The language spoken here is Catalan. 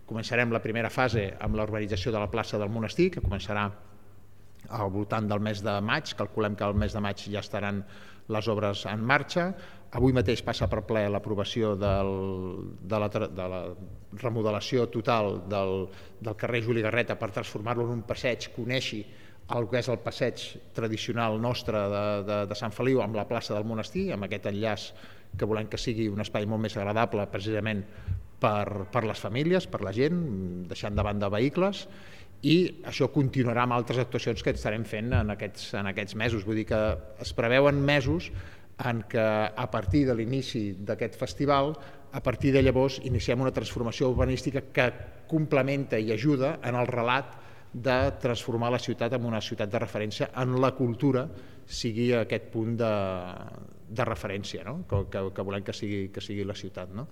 Començarem la primera fase amb la urbanització de la plaça del Monestir, que començarà al voltant del mes de maig. Calculem que al mes de maig ja estaran les obres en marxa. Avui mateix passa per ple l'aprovació de la remodelació total del carrer Juli Garreta per transformar-lo en un passeig que uneixi el que és el passeig tradicional nostre de Sant Feliu amb la plaça del Monestir, amb aquest enllaç que volem que sigui un espai molt més agradable precisament per les famílies, per la gent, deixant de banda vehicles, i això continuarà amb altres actuacions que estarem fent en aquests mesos. Vull dir que es preveuen mesos en què a partir de l'inici d'aquest festival, a partir de llavors iniciem una transformació urbanística que complementa i ajuda en el relat de transformar la ciutat en una ciutat de referència, en la cultura sigui aquest punt de referència, no? que volem que sigui la ciutat. No?